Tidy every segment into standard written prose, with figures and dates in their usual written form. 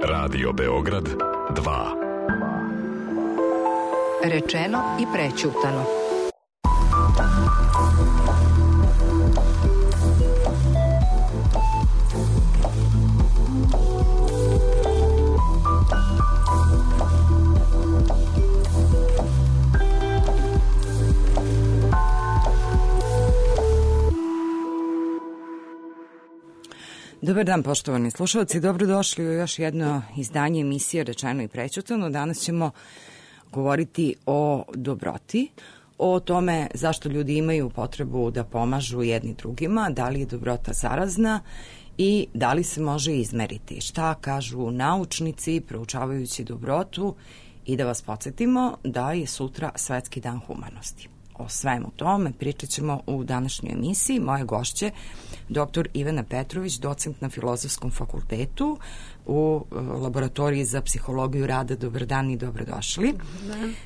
Radio Beograd 2. Rečeno i prećutano. Dobar dan, poštovani slušalci, dobrodošli u još jedno izdanje emisije Rečeno i prećutano. Danas ćemo govoriti o dobroti, o tome zašto ljudi imaju potrebu da pomažu jedni drugima, da li je dobrota zarazna i da li se može izmeriti. Šta kažu naučnici proučavajući dobrotu i da vas podsjetimo da je sutra Svetski dan humanosti. O svemu tome pričat ćemo u današnjoj emisiji. Moje gošće, dr. Ivana Petrović, docent na Filozofskom fakultetu u laboratoriji za psihologiju rada. Dobar dan i dobrodošli.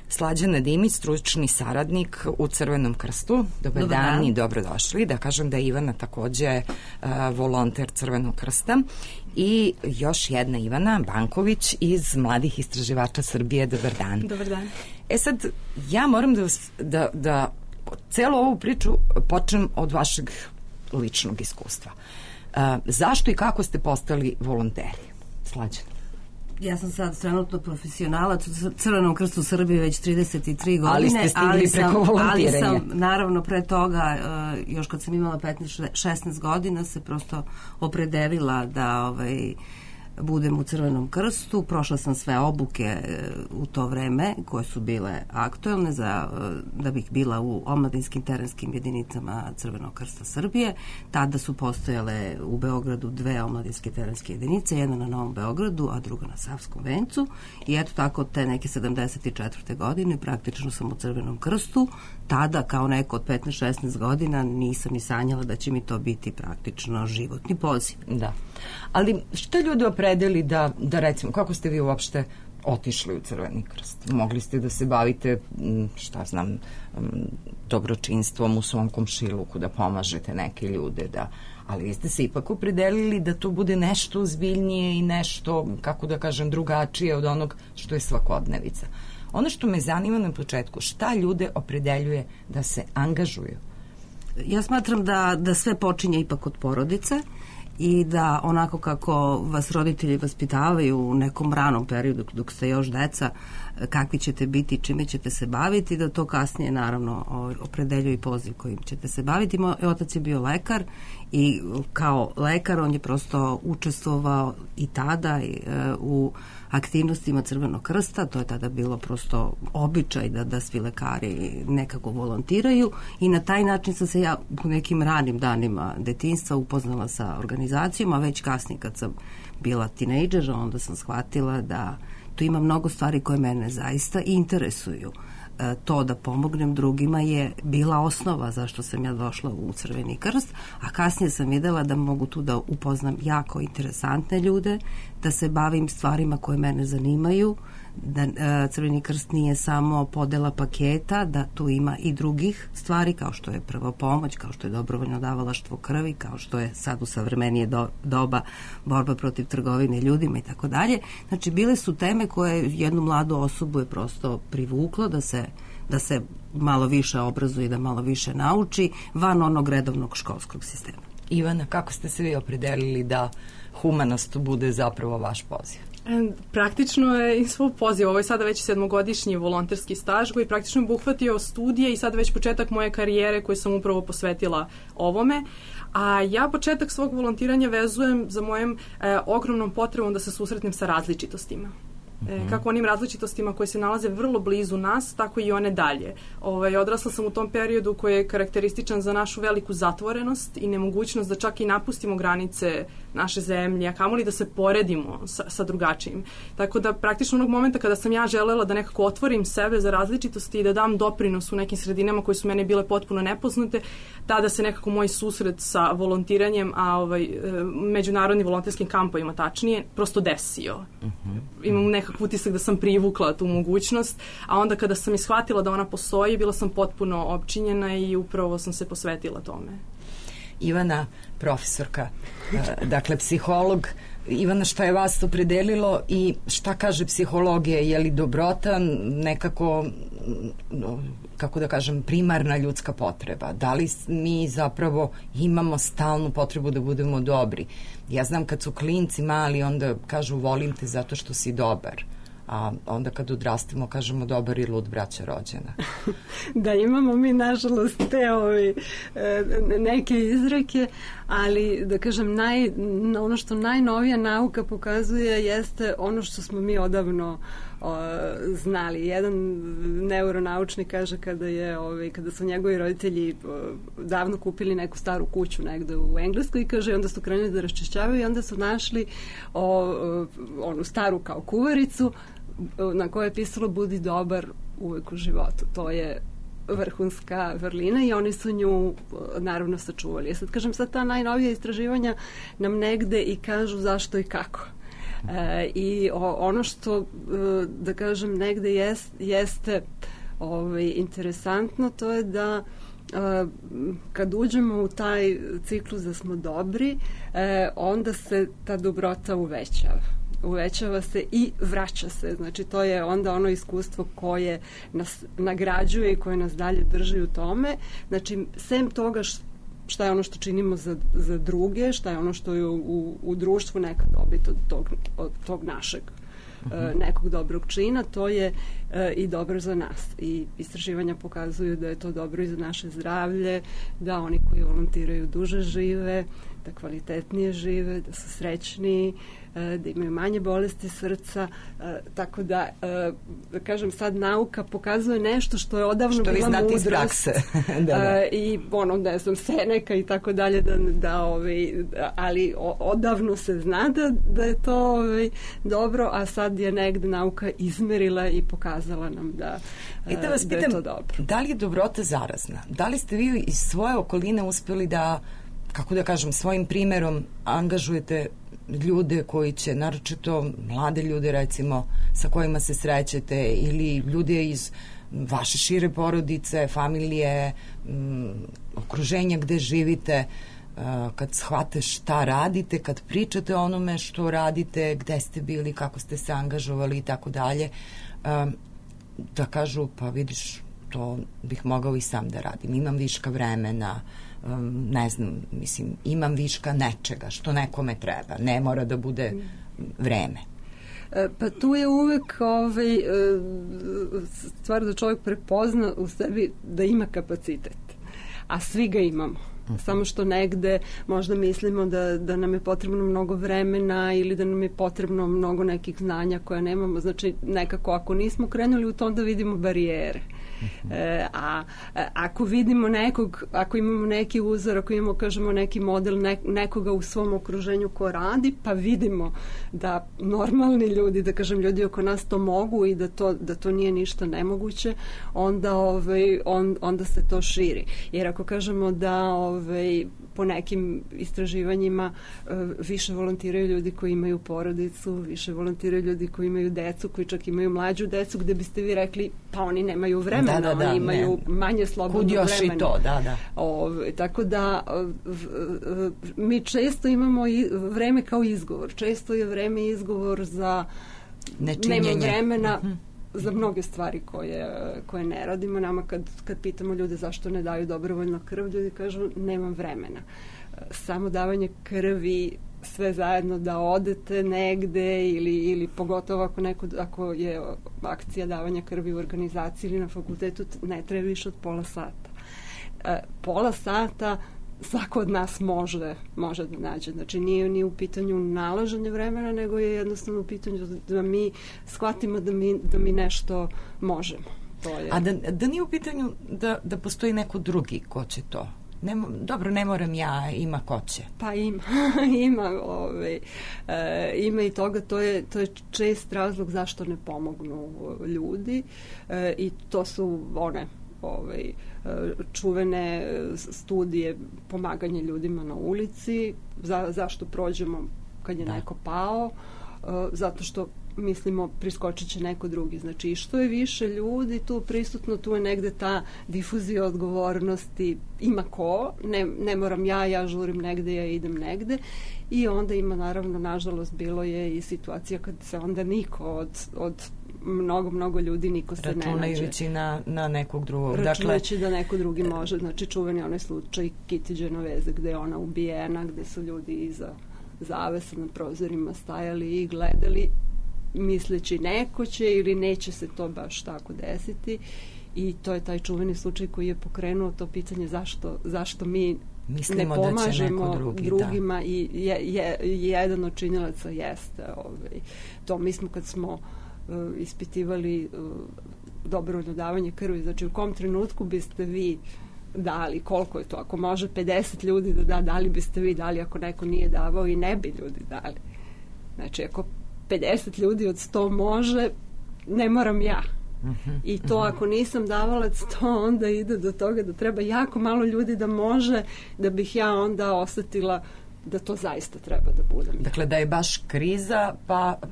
Slađana Dimić, stručni saradnik u Crvenom krstu. Dobar dan i dobrodošli. Da kažem da je Ivana takođe volonter Crvenog krsta. I još jedna Ivana Banković iz Mladih istraživača Srbije. Dobar dan. Dobar dan. Sad, ja moram da celu ovu priču počnem od vašeg ličnog iskustva. Zašto i kako ste postali volonteri? Slađana. Ja sam sad trenutno profesionalac u Crvenom krstu Srbije već 33 godine. Ali ste stigli preko volontiranja. Ali sam, naravno, pre toga, još kad sam imala 15-16 godina, se prosto opredelila da budem u Crvenom krstu. Prošla sam sve obuke u to vreme koje su bile aktuelne da bih bila u omladinskim terenskim jedinicama Crvenog krsta Srbije. Tada su postojale u Beogradu dve omladinske terenske jedinice, jedna na Novom Beogradu, a druga na Savskom vencu. I eto tako te neke 74. godine praktično sam u Crvenom krstu. Tada kao neko od 15-16 godina nisam ni sanjala da će mi to biti praktično životni poziv. Da. Ali što ljudi opredeli da recimo, kako ste vi uopšte otišli u Crveni krst? Mogli ste da se bavite, dobročinstvom u svom komšiluku, da pomažete neke ljude, ali vi ste se ipak opredelili da to bude nešto ozbiljnije i nešto, kako da kažem, drugačije od onog što je svakodnevica. Ono što me zanima na početku, šta ljude opredeljuje da se angažuju? Ja smatram da sve počinje ipak od porodice i da onako kako vas roditelji vaspitavaju u nekom ranom periodu dok ste još deca, kakvi ćete biti, čime ćete se baviti, da to kasnije naravno opredeljuje i poziv kojim ćete se baviti. Moj otac je bio lekar i kao lekar on je prosto učestvovao i tada u aktivnostima Crvenog krsta. To je tada bilo prosto običaj da svi lekari nekako volontiraju i na taj način sam se ja u nekim ranim danima detinjstva upoznala sa organizacijom, a već kasnije kad sam bila tinejdžer, onda sam shvatila da tu ima mnogo stvari koje mene zaista interesuju. To da pomognem drugima je bila osnova zašto sam ja došla u Crveni krst, a kasnije sam videla da mogu tu da upoznam jako interesantne ljude, da se bavim stvarima koje mene zanimaju, da Crveni krst nije samo podela paketa, da tu ima i drugih stvari kao što je prva pomoć, kao što je dobrovoljno davalaštvo krvi, kao što je sad u savremenije doba borba protiv trgovine ljudima i tako dalje. Znači, bile su teme koje jednu mladu osobu je prosto privuklo da se malo više obrazuje i da malo više nauči van onog redovnog školskog sistema. Ivana, kako ste se vi opredelili da humanost bude zapravo vaš poziv? Praktično je i svoj poziv. Ovo je sada već 7-godišnji volonterski staž koji praktično je obuhvatio studije i sada već početak moje karijere koju sam upravo posvetila ovome. A ja početak svog volontiranja vezujem za mojom ogromnom potrebom da se susretnem sa različitostima. Kako onim različitostima koje se nalaze vrlo blizu nas, tako i one dalje. Odrasla sam u tom periodu koji je karakterističan za našu veliku zatvorenost i nemogućnost da čak i napustimo granice naše zemlje, a kamoli da se poredimo sa drugačijim. Tako da praktično onog momenta kada sam ja želela da nekako otvorim sebe za različitosti i da dam doprinos u nekim sredinama koje su mene bile potpuno nepoznate, tada se nekako moj susret sa volontiranjem, a međunarodnim volonterskim kampovima tačnije, prosto desio. Imam nekakav utisak da sam privukla tu mogućnost, a onda kada sam ishvatila da ona postoji, bila sam potpuno opčinjena i upravo sam se posvetila tome. Ivana, profesorka, dakle psiholog. Ivana, šta je vas opredelilo i šta kaže psihologija? Je li dobrota nekako, kako da kažem, primarna ljudska potreba? Da li mi zapravo imamo stalnu potrebu da budemo dobri? Ja znam kad su klinci mali, onda kažu volim te zato što si dobar. A onda kad odrastemo kažemo dobar i lud braća rođena. Da, imamo mi nažalost te neke izreke, ali da kažem ono što najnovija nauka pokazuje jeste ono što smo mi odavno znali. Jedan neuronaučnik kaže kada su njegovi roditelji davno kupili neku staru kuću negde u Engleskoj, kaže, onda su krenuli da raščišćavaju i onda su našli onu staru kao kuvaricu na kojoj je pisalo budi dobar uvek u životu. To je vrhunska vrlina i oni su nju naravno sačuvali. Sad kažem, sad ta najnovija istraživanja nam negde i kažu zašto i kako. I ono što, da kažem, negde jeste interesantno, to je da kad uđemo u taj ciklus da smo dobri, onda se ta dobrota uvećava se i vraća se. Znači, to je onda ono iskustvo koje nas nagrađuje i koje nas dalje drži u tome. Znači, sem toga šta je ono što činimo za druge, šta je ono što je u društvu neka dobit od tog našeg nekog dobrog čina, to je i dobro za nas. I istraživanja pokazuju da je to dobro i za naše zdravlje, da oni koji volontiraju duže žive, da kvalitetnije žive, da su srećniji, da imaju manje bolesti srca, tako da kažem, sad nauka pokazuje nešto što je odavno bila mudrost. Što vi znate iz prakse. I ne znam, Seneka i tako dalje, ali odavno se zna da je to dobro, a sad je negde nauka izmerila i pokazala nam da vas pitam, je to dobro. Da li je dobrota zarazna? Da li ste vi iz svoje okoline uspeli da, kako da kažem, svojim primerom angažujete ljude koji će, naročito mlade ljude recimo sa kojima se srećete ili ljude iz vaše šire porodice, familije, okruženja gde živite, kad shvate šta radite, kad pričate o onome što radite, gde ste bili, kako ste se angažovali i tako dalje, da kažu, pa vidiš, to bih mogao i sam da radim, imam viška vremena, ne znam, mislim, imam viška nečega što nekome treba, ne mora da bude vreme. Pa tu je uvek stvar da čovjek prepozna u sebi da ima kapacitet, a svi ga imamo. Samo što negde možda mislimo da nam je potrebno mnogo vremena ili da nam je potrebno mnogo nekih znanja koje nemamo. Znači, nekako ako nismo krenuli u tom da vidimo barijere. A ako vidimo ako imamo neki uzor, ako imamo, kažemo, neki model nekoga u svom okruženju ko radi, pa vidimo da normalni ljudi, da kažem, ljudi oko nas to mogu i da to nije ništa nemoguće, onda se to širi. Jer ako kažemo da po nekim istraživanjima više volontiraju ljudi koji imaju porodicu, više volontiraju ljudi koji imaju decu, koji čak imaju mlađu decu, gde biste vi rekli, pa oni nemaju vremena, oni imaju manje slobodnog vremena. Kud još i to, tako da mi često imamo vreme kao izgovor. Često je vreme izgovor za nema vremena za mnoge stvari koje ne radimo. Nama kad pitamo ljude zašto ne daju dobrovoljno krv, ljudi kažu nemam vremena. Samo davanje krvi, sve zajedno da odete negde ili pogotovo ako je akcija davanja krvi u organizaciji ili na fakultetu, ne treba više od pola sata. Pola sata svako od nas može da nađe. Znači nije ni u pitanju nalaženje vremena, nego je jednostavno u pitanju da mi shvatimo da mi nešto možemo. A da nije u pitanju da postoji neko drugi ko će to? Dobro, ne moram ja, ima ko će. Pa ima ima i toga, to je čest razlog zašto ne pomognu ljudi i to su one čuvene studije pomaganje ljudima na ulici, zašto prođemo kad je neko pao, zato što mislimo priskočit će neko drugi. Znači, što je više ljudi tu prisutno, tu je negde ta difuzija odgovornosti, ima ko, ne moram ja žurim negde, ja idem negde, i onda ima, naravno, nažalost, bilo je i situacija kad se onda niko od mnogo ljudi, niko se ne nađe. Računajući na nekog drugog. Računajući da neko drugi može. Znači, čuveni onaj slučaj Kitty Genovese, gde je ona ubijena, gde su ljudi iza zavesa na prozorima stajali i gledali, misleći neko će ili neće se to baš tako desiti, i to je taj čuveni slučaj koji je pokrenuo to pitanje zašto mi mislimo ne pomažemo drugima, i jedan od činilaca jeste to. Mi smo, kad smo ispitivali dobrovoljno davanje krvi, znači u kom trenutku biste vi dali, koliko je to, ako može 50 ljudi da li biste vi dali, ako neko nije davao, i ne bi ljudi dali. Znači, ako 50 ljudi od 100 može, ne moram ja. I to, ako nisam davalac, to onda ide do toga da treba jako malo ljudi da može, da bih ja onda osetila da to zaista treba da budem. Dakle, da je baš kriza,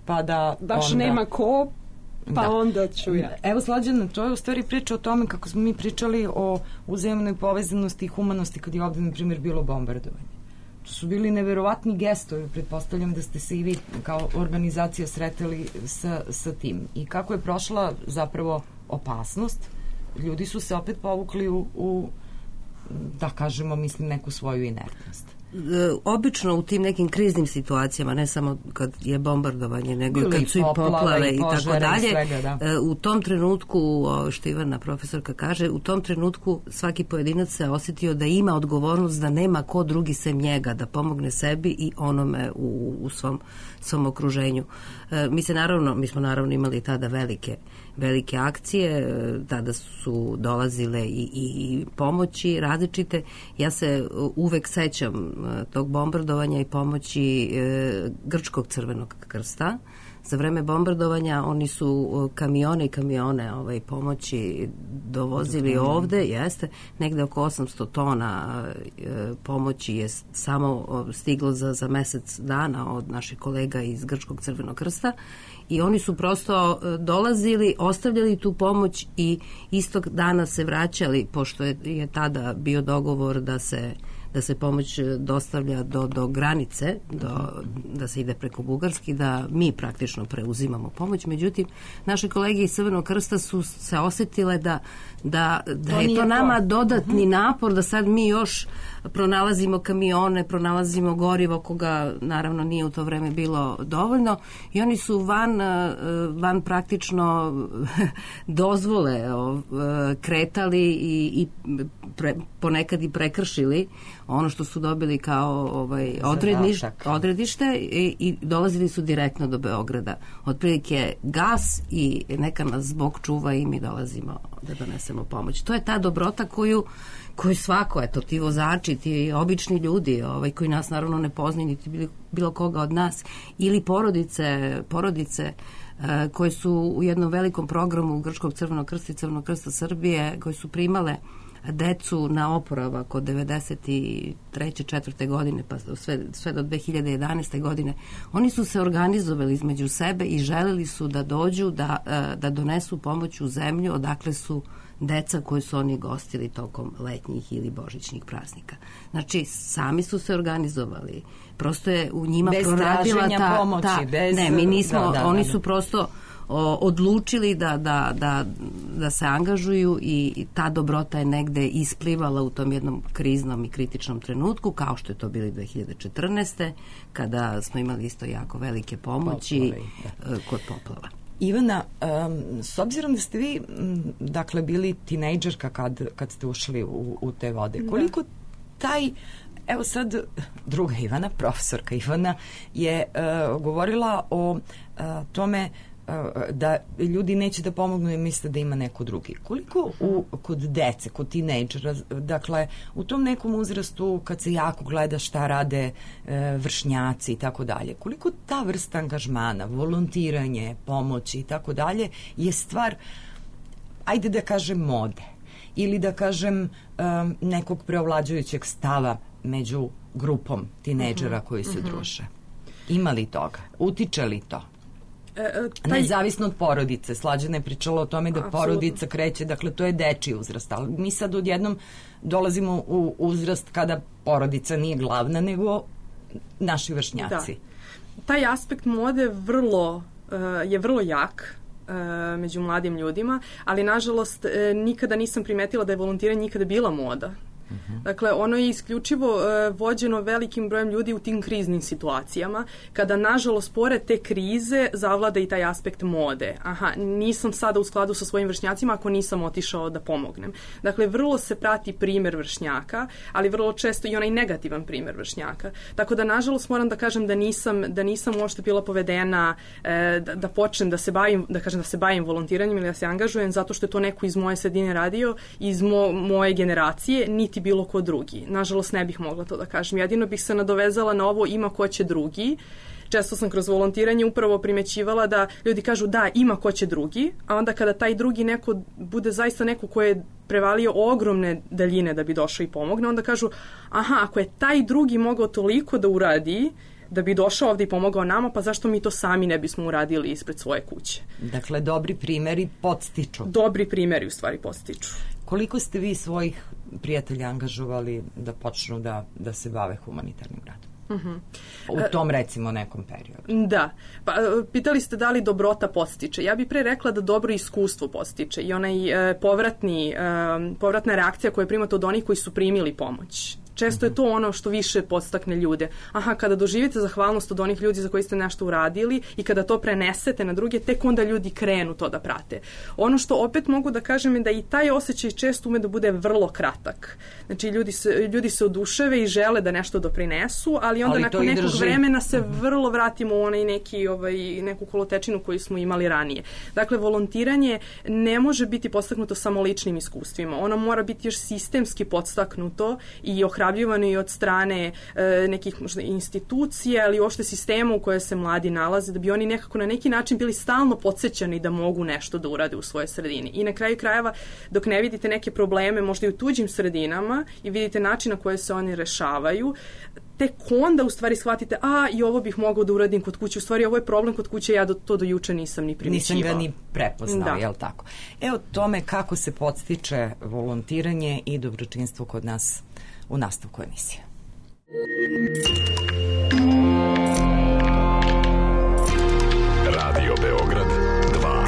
pa da baš onda nema ko, pa onda ću ja. Evo, Slađana, to je u stvari priča o tome kako smo mi pričali o uzajamnoj povezanosti i humanosti kad je ovde, na primjer, bilo bombardovanje. To su bili neverovatni gestovi, pretpostavljam da ste se i vi kao organizacija sretali sa tim. I kako je prošla zapravo opasnost, ljudi su se opet povukli u da kažemo, mislim, neku svoju inertnost. Obično u tim nekim kriznim situacijama, ne samo kad je bombardovanje, nego i kad su i poplave i tako dalje, u tom trenutku, što Ivana profesorka kaže, u tom trenutku svaki pojedinac se osjetio da ima odgovornost, da nema ko drugi sem njega, da pomogne sebi i onome u svom okruženju. Mi smo naravno imali tada velike akcije, tada su dolazile i pomoći različite. Ja se uvek sećam tog bombardovanja i pomoći Grčkog Crvenog krsta. Za vreme bombardovanja oni su kamione pomoći dovozili ovde, jeste, negde oko 800 tona pomoći je samo stiglo za mesec dana od naših kolega iz Grčkog Crvenog krsta, i oni su prosto dolazili, ostavljali tu pomoć i istog dana se vraćali, pošto je tada bio dogovor da se pomoć dostavlja do granice, da se ide preko Bugarske, da mi praktično preuzimamo pomoć. Međutim, naše kolege iz Crvenog krsta su se osetile da je to nama dodatni napor, da sad mi još pronalazimo kamione, pronalazimo gorivo, koga naravno nije u to vreme bilo dovoljno, i oni su van praktično dozvole kretali i ponekad i prekršili ono što su dobili kao odredište i dolazili su direktno do Beograda. Otprilike gas i neka nas Bog čuva i mi dolazimo da donesemo pomoć. To je ta dobrota koju svako, eto, ti vozači, ti obični ljudi koji nas naravno ne poznaju, niti bilo koga od nas, ili porodice koje su u jednom velikom programu Grčkog Crvenog krsta i Crvenog krsta Srbije, koje su primale decu na oporavak od 93. 4. godine pa sve do 2011. godine. Oni su se organizovali između sebe i želeli su da dođu da donesu pomoć u zemlju odakle su deca koje su oni gostili tokom letnjih ili božićnih praznika. Znači, sami su se organizovali. Prosto je u njima proradila pomoći, mi nismo, oni su prosto odlučili da se angažuju i ta dobrota je negde isplivala u tom jednom kriznom i kritičnom trenutku, kao što je to bili 2014. kada smo imali isto jako velike pomoći kod poplava. Ivana, s obzirom da ste vi dakle bili tinejdžerka kad ste ušli u te vode, koliko taj, evo sad druga Ivana, profesorka Ivana je govorila o tome da ljudi neće da pomognu i misle da ima neko drugi. Koliko kod dece, kod tinejdžera, dakle u tom nekom uzrastu kad se jako gleda šta rade vršnjaci i tako dalje, koliko ta vrsta angažmana, volontiranje, pomoći i tako dalje je stvar, ajde da kažem, mode ili da kažem nekog preovlađujućeg stava među grupom tinejdžera koji se druže? Ima li toga? Utiče li to? Nezavisno od porodice. Slađana je pričala o tome da Apsolutno. porodica kreće, dakle to je dečiji uzrast, ali mi sad odjednom dolazimo u uzrast kada porodica nije glavna, nego naši vršnjaci. Da. Taj aspekt mode je vrlo jak među mladim ljudima, ali nažalost nikada nisam primetila da je volontiranje nikada bila moda. Dakle, ono je isključivo vođeno velikim brojem ljudi u tim kriznim situacijama, kada, nažalost, pored te krize zavlada i taj aspekt mode. Aha, nisam sada u skladu sa svojim vršnjacima ako nisam otišao da pomognem. Dakle, vrlo se prati primer vršnjaka, ali vrlo često i onaj negativan primer vršnjaka. Tako da, nažalost, moram da kažem da nisam uopšte bila povedena da počnem da se bavim volontiranjem ili da se angažujem, zato što je to neko iz moje sredine radio, iz moje generacije, niti bilo ko drugi. Nažalost, ne bih mogla to da kažem. Jedino bih se nadovezala na ovo ima ko će drugi. Često sam kroz volontiranje upravo primećivala da ljudi kažu da, ima ko će drugi, a onda kada taj drugi neko bude zaista neko ko je prevalio ogromne daljine da bi došao i pomogne, onda kažu, aha, ako je taj drugi mogao toliko da uradi, da bi došao ovde i pomogao nama, pa zašto mi to sami ne bismo uradili ispred svoje kuće? Dakle, dobri primeri podstiču. Dobri primeri u stvari podstiču. Koliko ste vi svojih prijatelja angažovali da počnu da se bave humanitarnim radom? U tom, recimo, nekom periodu. Da. Pa, pitali ste da li dobrota podstiče. Ja bih pre rekla da dobro iskustvo podstiče i onaj povratna reakcija koju primate od onih koji su primili pomoć. Često je to ono što više podstakne ljude. Aha, kada doživite zahvalnost od onih ljudi za koji ste nešto uradili i kada to prenesete na druge, tek onda ljudi krenu to da prate. Ono što opet mogu da kažem je da i taj osjećaj često ume da bude vrlo kratak. Znači, ljudi se oduševe i žele da nešto doprinesu, ali onda nakon nekog vremena se vrlo vratimo u onaj neku kolotečinu koju smo imali ranije. Dakle, volontiranje ne može biti podstaknuto samo ličnim iskustvima. Ono mora biti još sistemski podstaknuto i ohrabljivano i od strane nekih možda institucija, ali uopšte sistema u koje se mladi nalaze, da bi oni nekako na neki način bili stalno podsjećani da mogu nešto da urade u svojoj sredini. I na kraju krajeva, dok ne vidite neke probleme možda i u tuđim sredinama i vidite način na koje se oni rešavaju, tek onda u stvari shvatite, i ovo bih mogao da uradim kod kuće, u stvari ovo je problem kod kuće, ja to do juče nisam ni primećivao. Nisam ga ni prepoznao, jel tako? Evo tome kako se podstiče volontiranje i dobročinstvo kod nas u nastavku emisije. Radio Beograd 2.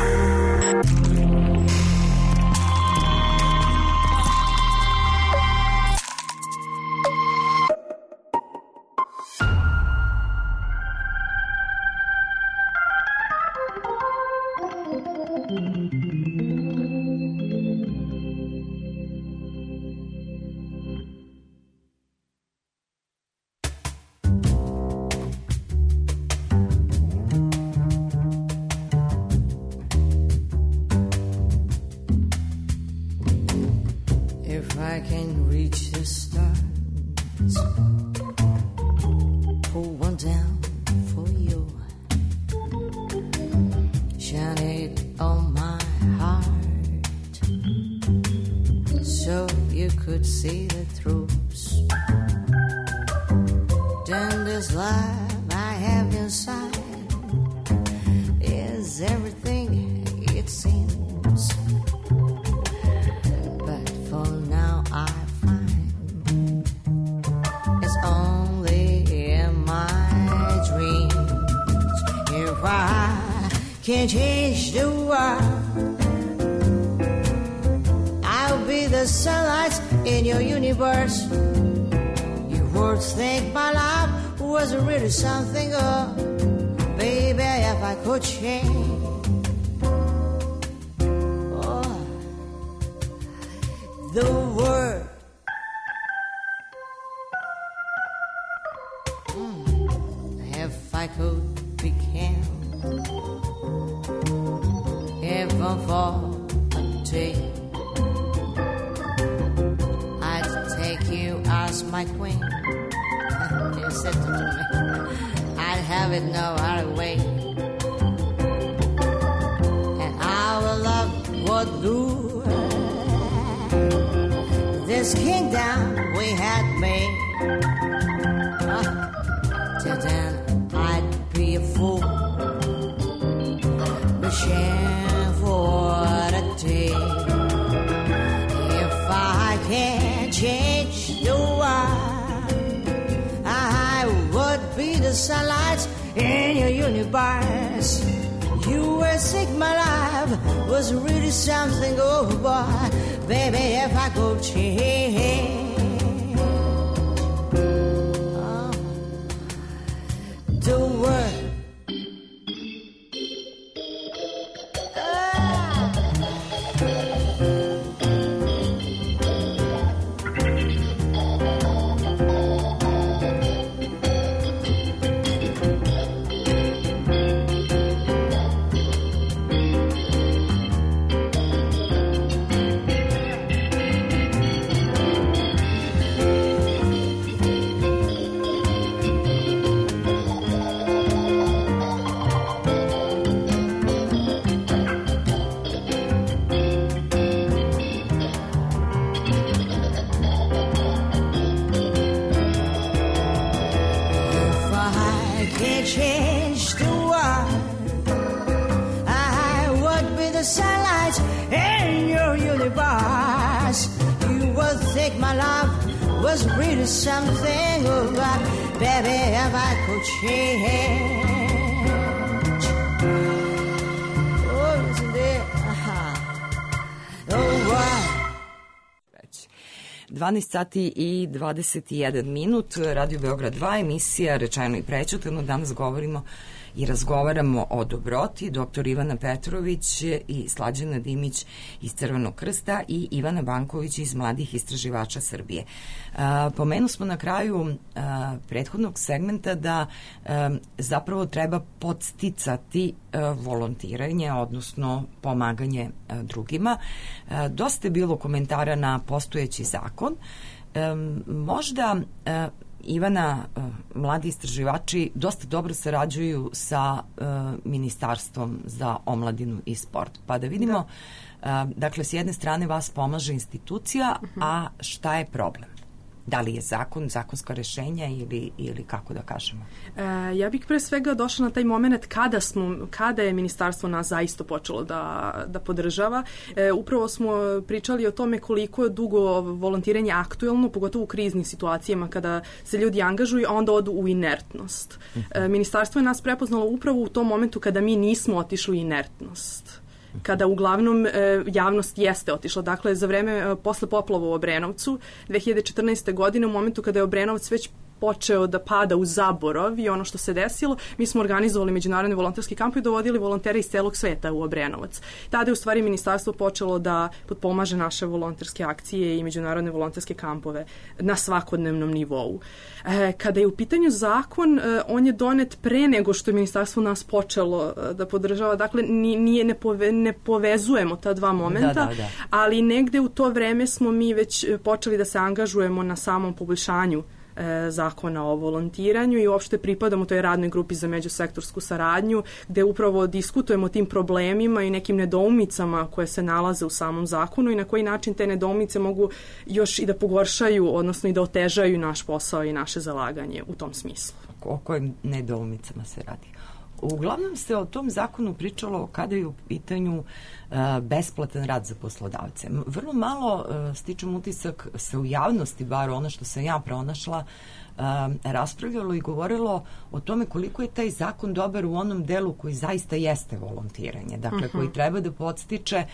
Can't change the world. I'll be the sunlight in your universe. Your words think my life was really something. Oh, baby, if I could change, the world. If I could become heaven for a day, I'd take you as my queen. You said to me, I'd have it no other way, and our love would rule this kingdom we had made. Till then I'd be a fool sunlight in your universe. You were sick, my life was really something. Oh boy, baby, if I could change, oh, don't worry. Change the world, I would be the sunlight in your universe. You would think my love was really something. Oh, but baby, if I could change, oh, isn't it? Oh, what? 12 sati i 21 minut, Radio Beograd 2, emisija Rečeno i prećutano. Danas govorimo i razgovaramo o dobroti. Dr. Ivana Petrović i Slađana Dimić iz Crvenog krsta i Ivana Banković iz Mladih istraživača Srbije. Pomenu smo na kraju prethodnog segmenta da zapravo treba podsticati volontiranje, odnosno pomaganje drugima. Dosta je bilo komentara na postojeći zakon. Možda Ivana, mladi istraživači dosta dobro sarađuju sa Ministarstvom za omladinu i sport. Pa da vidimo, dakle, s jedne strane vas pomaže institucija, a šta je problem? Da li je zakon, zakonska rešenja ili kako da kažemo? Ja bih pre svega došla na taj moment kada je ministarstvo nas zaista počelo da podržava. Upravo smo pričali o tome koliko je dugo volontiranje aktuelno, pogotovo u kriznim situacijama kada se ljudi angažuju, a onda odu u inertnost. Ministarstvo je nas prepoznalo upravo u tom momentu kada mi nismo otišli u inertnost. Kada uglavnom javnost jeste otišla. Dakle, za vreme posle poplava u Obrenovcu 2014. godine, u momentu kada je Obrenovac već počeo da pada u zaborav i ono što se desilo, mi smo organizovali međunarodni volonterski kamp i dovodili volontere iz celog sveta u Obrenovac. Tada je u stvari ministarstvo počelo da potpomaže naše volonterske akcije i međunarodne volonterske kampove na svakodnevnom nivou. Kada je u pitanju zakon, on je donet pre nego što je ministarstvo nas počelo da podržava. Dakle, ne povezujemo ta dva momenta, da. Ali negde u to vreme smo mi već počeli da se angažujemo na samom poboljšanju zakona o volontiranju i uopšte pripadamo toj radnoj grupi za međusektorsku saradnju gde upravo diskutujemo o tim problemima i nekim nedoumicama koje se nalaze u samom zakonu i na koji način te nedoumice mogu još i da pogoršaju, odnosno i da otežaju naš posao i naše zalaganje u tom smislu. O kojim nedoumicama se radi? Uglavnom se o tom zakonu pričalo kada je u pitanju besplatan rad za poslodavce. Vrlo malo, stičem utisak, se u javnosti, bar ono što sam ja pronašla, raspravljalo i govorilo o tome koliko je taj zakon dobar u onom delu koji zaista jeste volontiranje. Dakle, koji treba da podstiče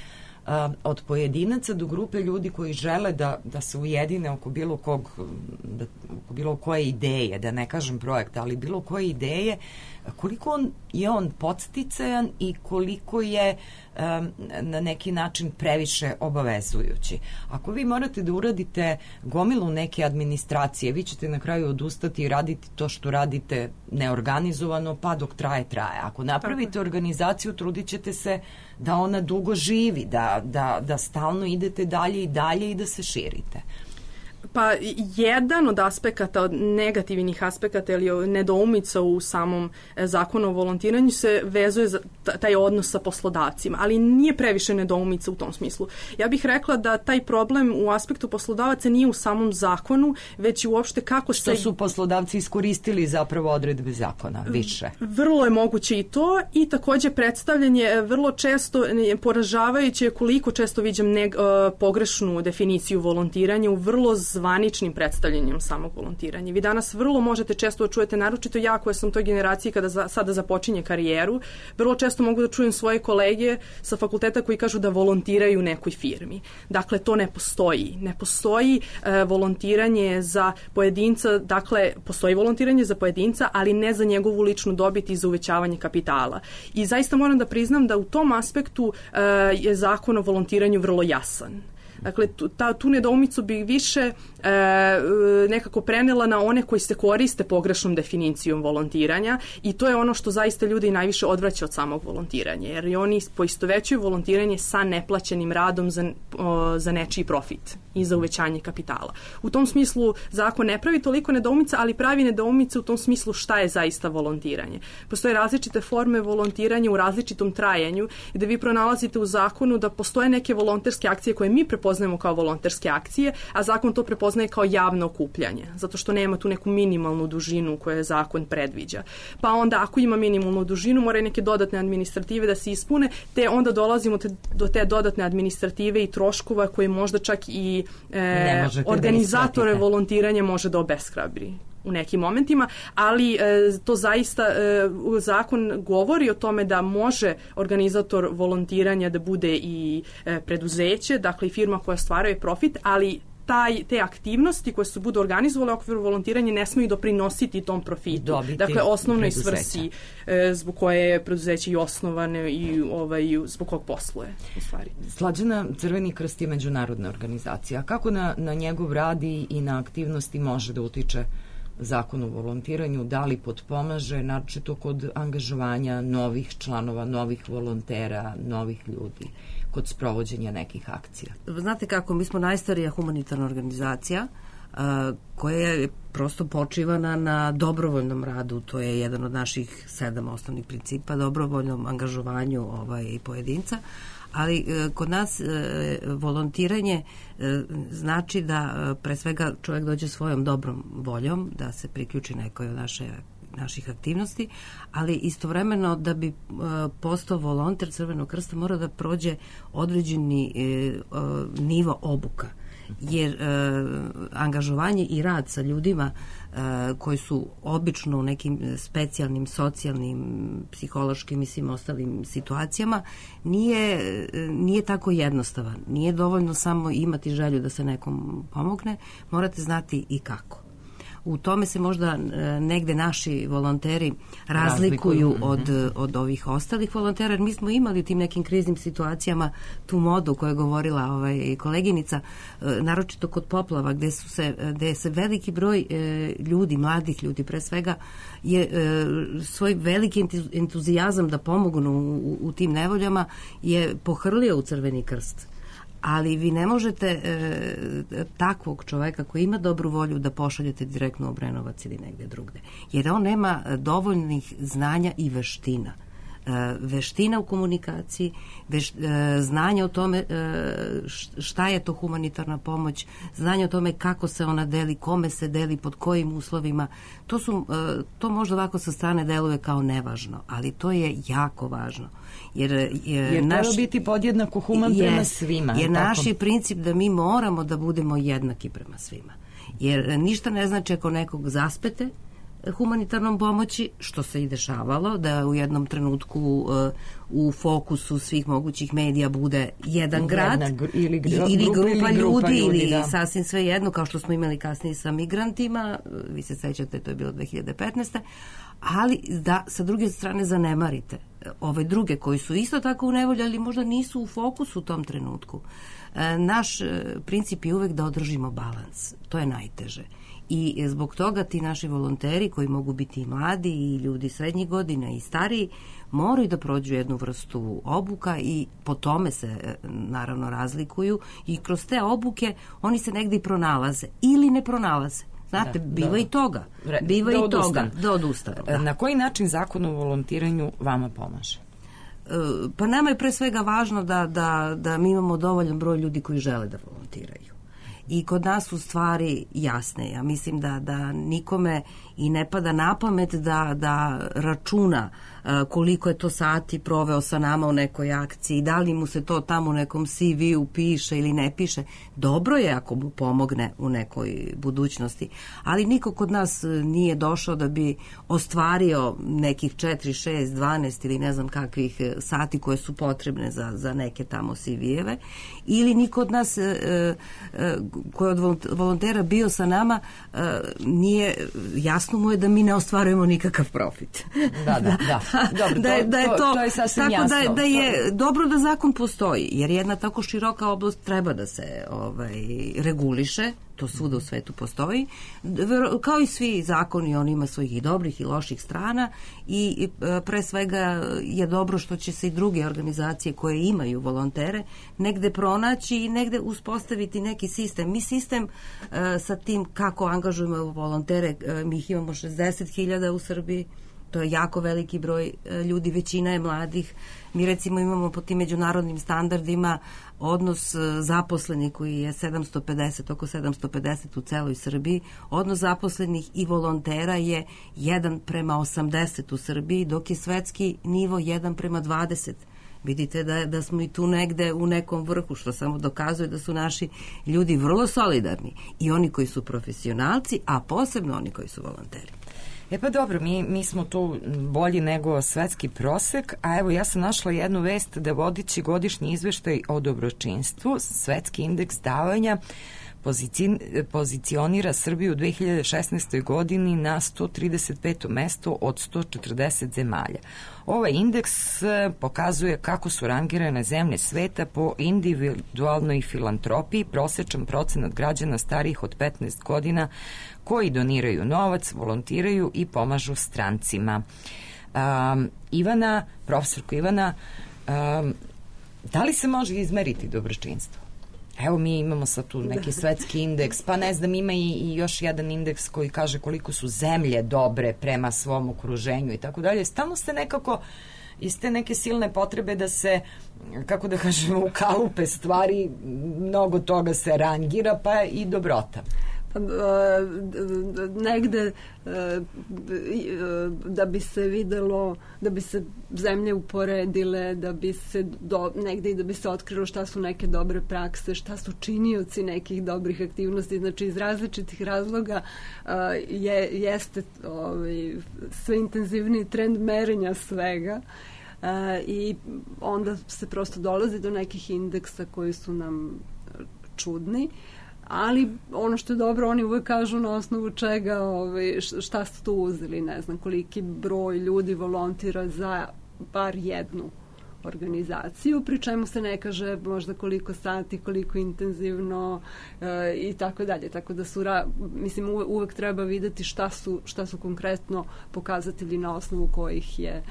od pojedinaca do grupe ljudi koji žele da se ujedine oko bilo koje ideje, da ne kažem projekta, ali bilo koje ideje, koliko je on podsticajan i koliko je na neki način previše obavezujući. Ako vi morate da uradite gomilu neke administracije, vi ćete na kraju odustati i raditi to što radite neorganizovano, pa dok traje. Ako napravite organizaciju, trudit ćete se da ona dugo živi, da stalno idete dalje i dalje i da se širite. Pa jedan od aspekata, od negativnih aspekata ili nedoumica u samom zakonu o volontiranju se vezuje za taj odnos sa poslodavcima, ali nije previše nedoumica u tom smislu. Ja bih rekla da taj problem u aspektu poslodavaca nije u samom zakonu, već i uopšte kako što su poslodavci iskoristili zapravo odredbe zakona više. Vrlo je moguće i to i također predstavljanje vrlo često poražavajuće koliko često viđam pogrešnu definiciju volontiranja u vrlo zvaničnim predstavljanjem samog volontiranja. Vi danas vrlo možete često čujete, naročito ja koja sam u toj generaciji kada sada započinje karijeru, vrlo često mogu da čujem svoje kolege sa fakulteta koji kažu da volontiraju u nekoj firmi. Dakle, to ne postoji. Ne postoji volontiranje za pojedinca, dakle, postoji volontiranje za pojedinca, ali ne za njegovu ličnu dobit i za uvećavanje kapitala. I zaista moram da priznam da u tom aspektu je zakon o volontiranju vrlo jasan. Dakle, tu nedoumicu bi više nekako prenela na one koji se koriste pogrešnom definicijom volontiranja i to je ono što zaista ljudi najviše odvraća od samog volontiranja, jer oni poistovećuju volontiranje sa neplaćenim radom za nečiji profit i za uvećanje kapitala. U tom smislu zakon ne pravi toliko nedoumica, ali pravi nedoumice u tom smislu šta je zaista volontiranje. Postoje različite forme volontiranja u različitom trajanju i da vi pronalazite u zakonu da postoje neke volonterske akcije koje mi prepoznajemo kao volonterske akcije, a zakon to prepoznaje kao javno okupljanje, zato što nema tu neku minimalnu dužinu koju zakon predviđa. Pa onda ako ima minimalnu dužinu, moraju neke dodatne administrative da se ispune, te onda dolazimo do te dodatne administrative i troškova koje možda čak i organizatore volontiranja može da obeshrabri u nekim momentima, ali to zaista zakon govori o tome da može organizator volontiranja da bude i preduzeće, dakle i firma koja stvaruje profit, ali te aktivnosti koje se budu organizovale u okviru volontiranja ne smiju doprinositi tom profitu. Dakle, osnovnoj svrsi zbog koje je preduzeće i osnovane i zbog kog posluje. U stvari. Slađana, Crveni krst je međunarodna organizacija. Kako na njegov rad i na aktivnosti može da utiče zakon o volontiranju, da li potpomaže, naročito kod angažovanja novih članova, novih volontera, novih ljudi, kod sprovođenja nekih akcija? Znate kako, mi smo najstarija humanitarna organizacija koja je prosto počivana na dobrovoljnom radu, to je jedan od naših 7 osnovnih principa, dobrovoljnom angažovanju i pojedinca, ali kod nas volontiranje znači da pre svega čovjek dođe svojom dobrom voljom, da se priključi nekoj od naših aktivnosti, ali istovremeno da bi postao volonter Crvenog krsta mora da prođe određeni nivo obuka, jer angažovanje i rad sa ljudima koji su obično u nekim specijalnim, socijalnim, psihološkim i svim ostalim situacijama nije tako jednostavan. Nije dovoljno samo imati želju da se nekom pomogne, morate znati i kako. U tome se možda negde naši volonteri razlikuju od ovih ostalih volontera, jer mi smo imali u tim nekim kriznim situacijama tu modu koju je govorila koleginica, naročito kod poplava, gde se veliki broj ljudi, mladih ljudi pre svega, je svoj veliki entuzijazam da pomognu u tim nevoljama je pohrlio u Crveni krst. Ali vi ne možete takvog čoveka koji ima dobru volju da pošaljete direktno u Obrenovac ili negde drugde. Jer on nema dovoljnih znanja i veština. Veština u komunikaciji, znanje o tome šta je to humanitarna pomoć, znanje o tome kako se ona deli, kome se deli, pod kojim uslovima. To možda ovako sa strane deluje kao nevažno, ali to je jako važno. Jer treba biti podjednako human prema svima. Jer naš je princip da mi moramo da budemo jednaki prema svima. Jer ništa ne znači ako nekog zaspete humanitarnom pomoći, što se i dešavalo, da u jednom trenutku u fokusu svih mogućih medija bude jedan grad ili grupa ljudi ili sasvim sve jedno, kao što smo imali kasnije sa migrantima, vi se sećate, to je bilo 2015. Ali da sa druge strane zanemarite ove druge koji su isto tako u nevolji, ali možda nisu u fokusu u tom trenutku. Naš princip je uvek da održimo balans. To je najteže. I zbog toga ti naši volonteri, koji mogu biti i mladi i ljudi srednjih godina i stariji, moraju da prođu jednu vrstu obuka i po tome se naravno razlikuju i kroz te obuke oni se negdje i pronalaze ili ne pronalaze. Znate, biva i toga. Biva i toga. Da odustanu. Na koji način zakon o volontiranju vama pomaže? Pa nama je pre svega važno da mi imamo dovoljan broj ljudi koji žele da volontiraju. i kod nas su stvari jasne. Ja mislim da nikome i ne pada na pamet da računa koliko je to sati proveo sa nama u nekoj akciji, da li mu se to tamo u nekom CV-u piše ili ne piše. Dobro je ako mu pomogne u nekoj budućnosti, ali niko kod nas nije došao da bi ostvario nekih 4, 6, 12 ili ne znam kakvih sati koje su potrebne za neke tamo CV-eve, ili niko od nas koji je od volontera bio sa nama nije, jasno mu je da mi ne ostvarujemo nikakav profit. Da. Dobro, to je sasvim tako jasno. Da je dobro da zakon postoji, jer jedna tako široka oblast treba da se reguliše, to svuda u svetu postoji, kao i svi zakoni, on ima svojih i dobrih i loših strana i pre svega je dobro što će se i druge organizacije koje imaju volontere negde pronaći i negde uspostaviti neki sistem. Mi sistem sa tim kako angažujemo volontere, mi ih imamo 60.000 u Srbiji, to je jako veliki broj ljudi, većina je mladih. Mi recimo imamo po tim međunarodnim standardima odnos zaposlenih koji je 750, oko 750 u celoj Srbiji. Odnos zaposlenih i volontera je 1:80 u Srbiji, dok je svetski nivo 1:20. Vidite da smo i tu negde u nekom vrhu, što samo dokazuje da su naši ljudi vrlo solidarni. I oni koji su profesionalci, a posebno oni koji su volonteri. E pa dobro, mi smo tu bolji nego svetski prosek, a evo ja sam našla jednu vest da vodići godišnji izveštaj o dobročinstvu, svetski indeks davanja pozicionira Srbiju u 2016. godini na 135. mesto od 140 zemalja. Ovaj indeks pokazuje kako su rangirane zemlje sveta po individualnoj filantropiji, prosečan procenat građana starijih od 15 godina koji doniraju novac, volontiraju i pomažu strancima. Profesorko Ivana, da li se može izmeriti dobročinstvo? Evo mi imamo sad tu neki svetski indeks, pa ne znam, ima i još jedan indeks koji kaže koliko su zemlje dobre prema svom okruženju i tako dalje. Stalno ste nekako iz te neke silne potrebe da se, kako da kažemo, ukalupe stvari, mnogo toga se rangira, pa i dobrota. Negde da bi se videlo, da bi se zemlje uporedile, da bi se negde i da bi se otkrilo šta su neke dobre prakse, šta su činioci nekih dobrih aktivnosti, znači iz različitih razloga jeste sve intenzivniji trend merenja svega i onda se prosto dolazi do nekih indeksa koji su nam čudni. Ali ono što je dobro, oni uvek kažu na osnovu čega, šta ste tu uzeli, ne znam koliki broj ljudi volontira za bar jednu organizaciju, pri čemu se ne kaže možda koliko sati, koliko intenzivno i tako dalje. Tako da mislim, uvek treba videti šta su konkretno pokazatelji na osnovu kojih je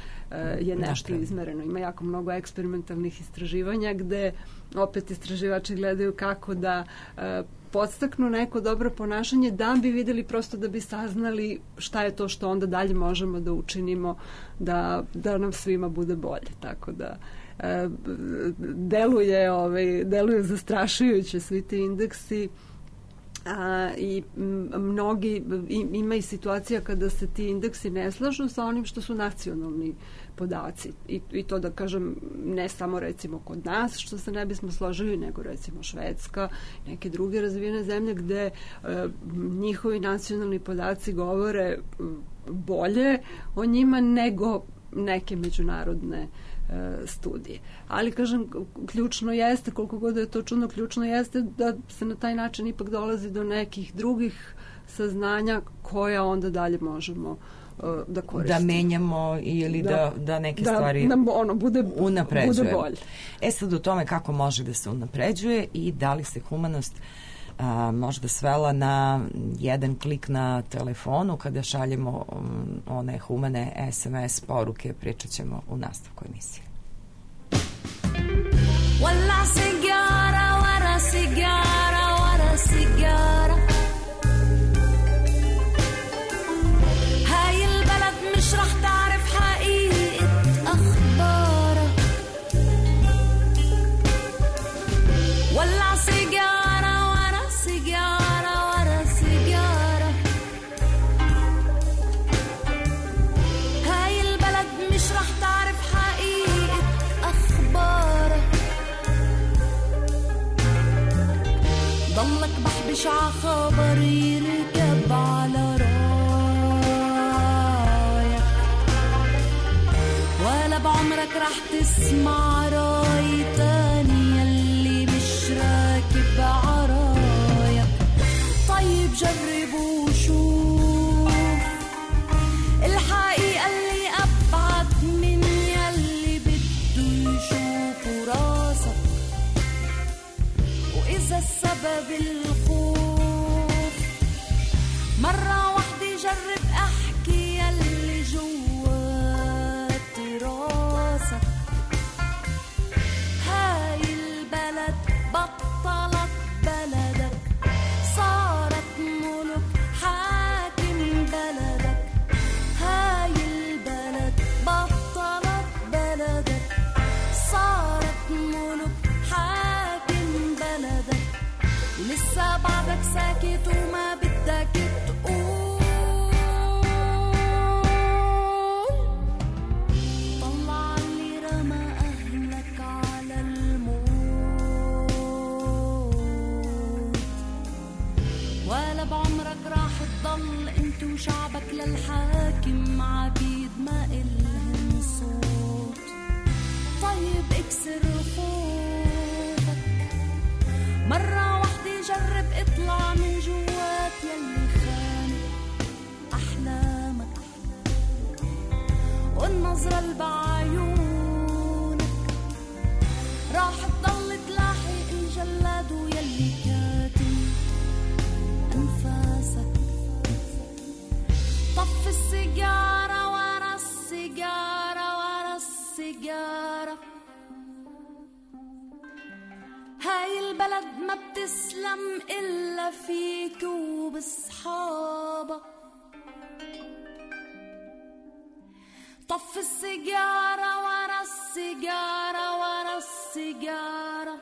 nešto izmereno. Ima jako mnogo eksperimentalnih istraživanja gde opet istraživači gledaju kako da podstaknu neko dobro ponašanje da bi videli, prosto da bi saznali šta je to što onda dalje možemo da učinimo da nam svima bude bolje. Tako da deluje zastrašujuće svi ti indeksi i mnogi ima i situacija kada se ti indeksi ne slažu sa onim što su nacionalni podaci i to da kažem ne samo recimo kod nas što se ne bismo složili, nego recimo Švedska, neke druge razvijene zemlje gde njihovi nacionalni podaci govore bolje o njima nego neke međunarodne studije. Ali kažem, ključno jeste, koliko god je to čudno, ključno jeste da se na taj način ipak dolazi do nekih drugih saznanja koja onda dalje možemo da koristimo. Da menjamo ili da neke stvari bude bolje. Sad o tome kako može da se unapređuje i da li se humanost možda svela na jedan klik na telefonu kada šaljemo one humane SMS poruke, pričat ćemo u nastavku emisije. Walla sigara, wara sigara, wara sigara هاي البلد مش رح تعرف حقيقة أخبارها ولع سيجارة ورا سيجارة بعمرك رح تسمع راي تاني يلي مش راكب عرايا. طيب جرب وشوف الحقيقة اللي أبعد من يلي بده يشوفه راسك. وإذا السبب الخوف مرة واحدة جرب أحكي يلي جوات راسك. هاي البلد بطلت بلدك، صارت ملك حاكم بلدك. هاي البلد بطلت بلدك، صارت ملك حاكم بلدك. ولسه بعدك ساكت وما بدك تقول. طلع اللي رمى أهلك على الموت، ولا بعمرك راح تضل انت وشعبك للحاكم عبيد ما إلهم صوت. طيب اكسر خوفك مرة واحدة، جرب اطلع من جوات يلي خانق أحلامك. والنظرة اللي بعيونك راح تضل تلاحق الجلاد ويلي كاتم أنفاسك. طف السيجارة ورا السيجارة ورا السيجارة. هاي البلد ما بتسلم إلا فيك وبصحابك. طف السيجارة ورا السيجارة ورا السيجارة.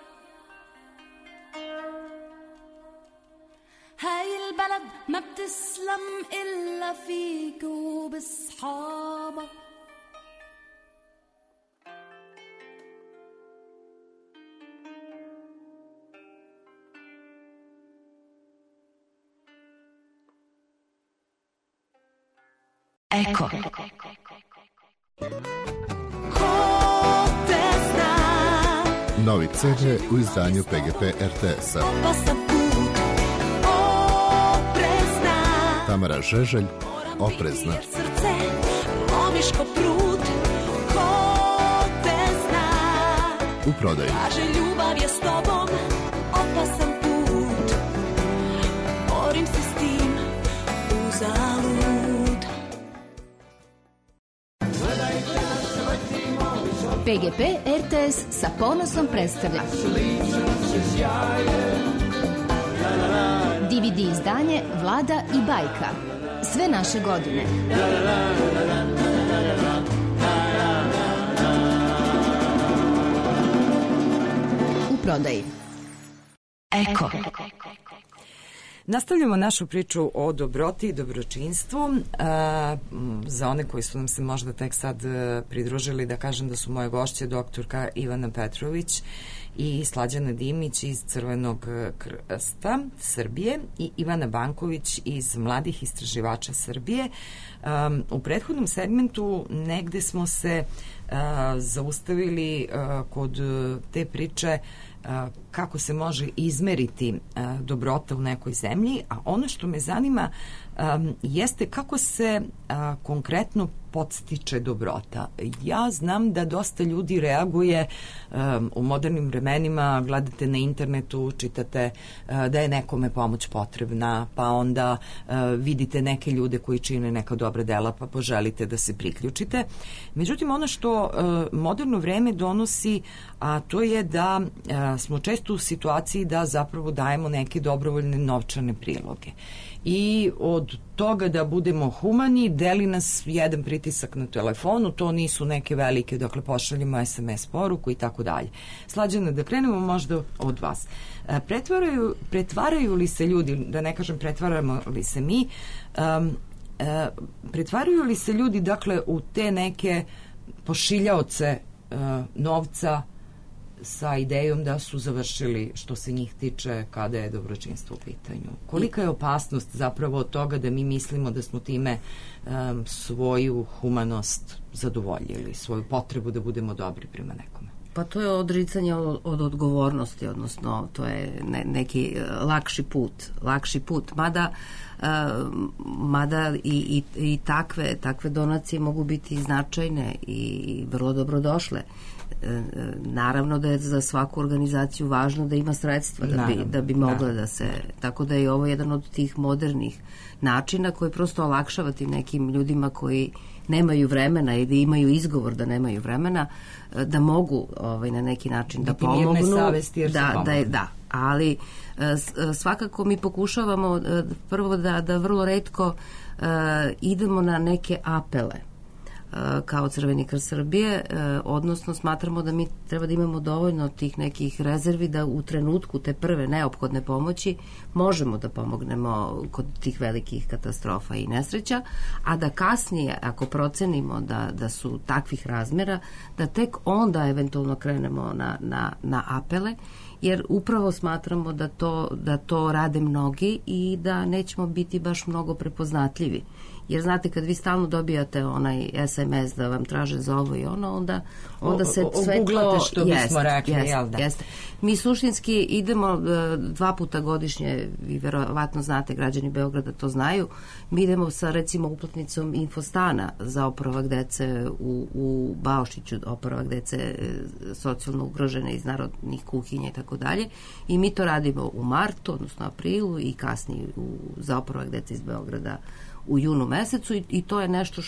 هاي البلد ما بتسلم إلا فيك وبصحابك. Eko. Novi CD u izdanju PGP RTS-a. Tamara Žeželj, Oprezna. U prodaju. Ljubav je s tobom opasan put, borim se s tim uzalud. PGP RTS sa ponosom predstavlja DVD izdanje Vlada i bajka. Sve naše godine. U prodaji. Eko. Nastavljamo našu priču o dobroti i dobročinstvu. Za one koji su nam se možda tek sad pridružili, da kažem da su moje gošće doktorka Ivana Petrović i Slađana Dimić iz Crvenog krsta Srbije i Ivana Banković iz Mladih istraživača Srbije. U prethodnom segmentu negde smo se zaustavili kod te priče kako se može izmeriti dobrota u nekoj zemlji, a ono što me zanima jeste kako se konkretno podstiče dobrota. Ja znam da dosta ljudi reaguje u modernim vremenima, gledate na internetu, čitate da je nekome pomoć potrebna, pa onda vidite neke ljude koji čine neka dobra dela, pa poželite da se priključite. Međutim, ono što moderno vreme donosi, a to je da smo često u situaciji da zapravo dajemo neke dobrovoljne novčane priloge. I od toga da budemo humani deli nas jedan pritisak na telefonu, to nisu neke velike, dakle pošaljimo SMS poruku i tako dalje. Slađana, da krenemo možda od vas. Pretvaraju li se ljudi, da ne kažem pretvaramo li se mi, pretvaraju li se ljudi dakle u te neke pošiljaoce novca sa idejom da su završili što se njih tiče kada je dobročinstvo u pitanju. Kolika je opasnost zapravo od toga da mi mislimo da smo time svoju humanost zadovoljili, svoju potrebu da budemo dobri prema nekome? Pa to je odricanje od odgovornosti, odnosno to je neki lakši put. Mada i takve donacije mogu biti značajne i vrlo dobrodošle. Naravno da je za svaku organizaciju važno da ima sredstva da bi mogla da se... Tako da je ovo jedan od tih modernih načina koji prosto olakšava tim nekim ljudima koji nemaju vremena ili imaju izgovor da nemaju vremena, da mogu na neki način da pomognu. Mirne savesti jer su pomogli. Da, ali svakako mi pokušavamo prvo da vrlo retko idemo na neke apele kao Crveni krst Srbije, odnosno smatramo da mi treba da imamo dovoljno tih nekih rezervi da u trenutku te prve neophodne pomoći možemo da pomognemo kod tih velikih katastrofa i nesreća, a da kasnije, ako procenimo da su takvih razmera, da tek onda eventualno krenemo na apele, jer upravo smatramo da to rade mnogi i da nećemo biti baš mnogo prepoznatljivi. Jer znate, kad vi stalno dobijate onaj SMS da vam traže za ovo i ono, onda se sve to... Oguglate što bismo rekli, jel da? Jeste. Mi suštinski idemo 2 puta godišnje, vi verovatno znate, građani Beograda to znaju, mi idemo sa recimo uplatnicom Infostana za oporavak dece u Baošiću, oporavak dece socijalno ugrožene iz narodnih kuhinja i tako dalje, i mi to radimo u martu, odnosno aprilu, i kasnije za oporavak dece iz Beograda u junu mesecu, i to je nešto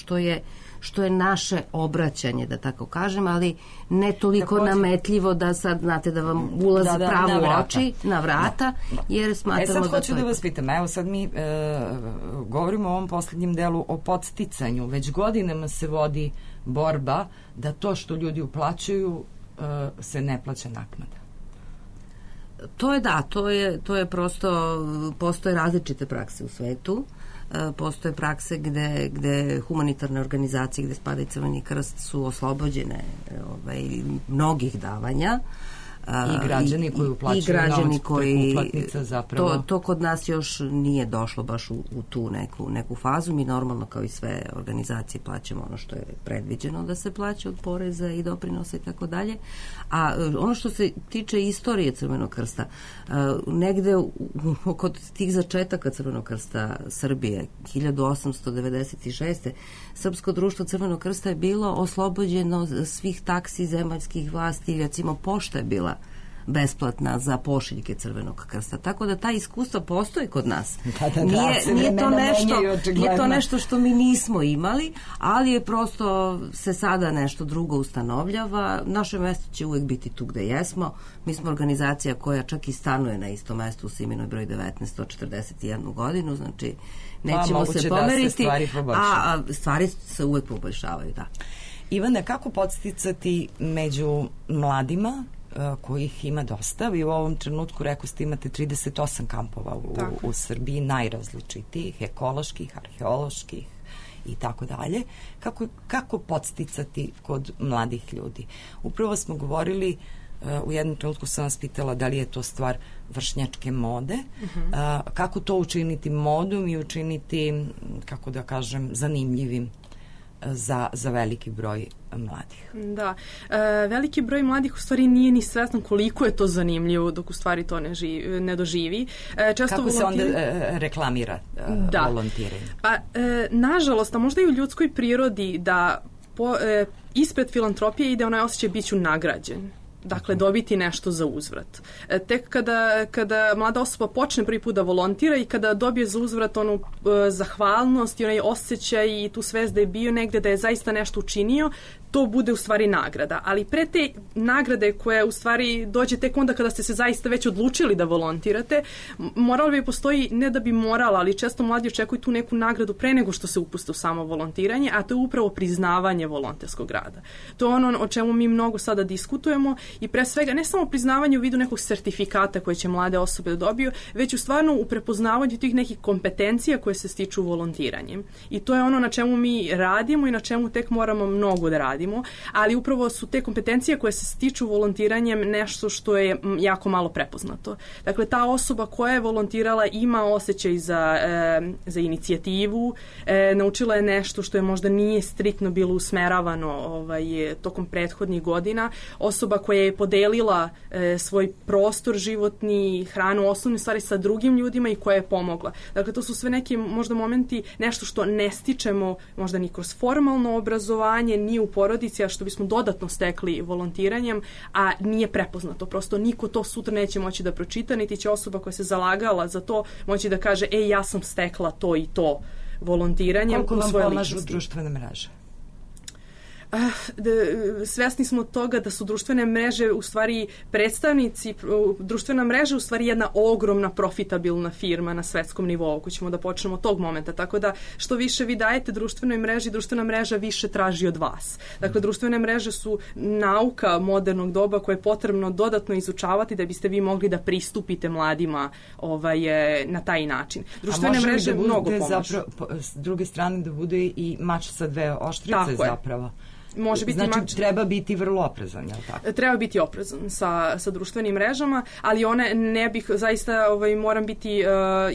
što je naše obraćanje, da tako kažem, ali ne toliko nametljivo da sad, znate, da vam ulazi pravo u oči, na vrata, jer smatramo da to... Sad hoću da vas pitam, evo sad mi govorimo o ovom poslednjem delu o podsticanju, već godinama se vodi borba da to što ljudi uplaćuju se ne plaća naknada. To je prosto, postoje različite prakse u svetu. Postoje prakse gde humanitarne organizacije, gde spada i Crveni krst, su oslobođene mnogih davanja. I građani koji uplaćuju novac preko uplatnica zapravo. To kod nas još nije došlo baš u tu neku fazu. Mi normalno, kao i sve organizacije, plaćamo ono što je predviđeno da se plaća od poreza i doprinosa i tako dalje. A ono što se tiče istorije Crvenog krsta, negde kod tih začetaka Crvenog krsta Srbije 1896. Srpsko društvo Crvenog krsta je bilo oslobođeno svih taksi zemaljskih vlasti, recimo pošta je bila besplatna za pošiljke Crvenog krsta. Tako da ta iskustva postoje kod nas. Nije to nešto što mi nismo imali, ali je prosto se sada nešto drugo ustanovljava. Naše mesto će uvek biti tu gde jesmo. Mi smo organizacija koja čak i stanuje na istom mestu u Siminoj broj 19, 141 godinu, znači nećemo se pomeriti, a stvari se uvek poboljšavaju, da. Ivana, kako podsticati među mladima kojih ima dosta? Vi u ovom trenutku, rekao ste, imate 38 kampova u Srbiji, najrazličitijih, ekoloških, arheoloških i tako dalje. Kako podsticati kod mladih ljudi? Upravo smo govorili, u jednom trenutku sam vas pitala da li je to stvar vršnjačke mode, kako to učiniti modom i učiniti, kako da kažem, zanimljivim za veliki broj mladih. Da, veliki broj mladih u stvari nije ni svestan koliko je to zanimljivo dok u stvari to ne doživi. Kako se onda reklamira volontiranje? Pa, nažalost, a možda i u ljudskoj prirodi da ispred filantropije ide onaj osjećaj bit ću nagrađen. Dakle, dobiti nešto za uzvrat. Tek kada mlada osoba počne prvi put da volontira i kada dobije za uzvrat onu zahvalnost i onaj osjećaj i tu svest da je bio negde, da je zaista nešto učinio, to bude u stvari nagrada. Ali pre te nagrade koja u stvari dođe tek onda kada ste se zaista već odlučili da volontirate, moral bi postoji, ne da bi morala, ali često mladi očekuju tu neku nagradu pre nego što se upuste u samo volontiranje, a to je upravo priznavanje volonterskog rada. To je ono o čemu mi mnogo sada diskutujemo i pre svega ne samo priznavanje u vidu nekog sertifikata koje će mlade osobe da dobiju, već u stvarno u prepoznavanju tih nekih kompetencija koje se stiču volontiranjem. I to je ono na čemu mi radimo i na čemu tek moramo mnogo da radimo, ali upravo su te kompetencije koje se stiču volontiranjem nešto što je jako malo prepoznato. Dakle, ta osoba koja je volontirala ima osjećaj za inicijativu, naučila je nešto što je možda nije striktno bilo usmeravano tokom prethodnih godina. Osoba koja je podelila svoj prostor životni, hranu, osnovne stvari sa drugim ljudima i koja je pomogla. Dakle, to su sve neki možda momenti, nešto što ne stičemo možda ni kroz formalno obrazovanje, ni u porodici, a što bismo dodatno stekli volontiranjem, a nije prepoznato. Prosto niko to sutra neće moći da pročita, niti će osoba koja se zalagala za to moći da kaže, ja sam stekla to i to volontiranjem u svoje ličnosti. Koliko vam pomažu društvene mreže? Svesni smo toga da su društvene mreže u stvari predstavnici, društvena mreža u stvari jedna ogromna profitabilna firma na svetskom nivou, ako ćemo da počnemo od tog momenta, tako da što više vi dajete društvenoj mreži, društvena mreža više traži od vas. Dakle, društvene mreže su nauka modernog doba koje je potrebno dodatno izučavati da biste vi mogli da pristupite mladima na taj način. Društvene mreže mnogo pomažu. S druge strane da bude i mač sa dve oštrice zapravo. Može biti znači, treba biti vrlo oprezan, je li tako? Treba biti oprezan sa društvenim mrežama, ali one ne bih, zaista moram biti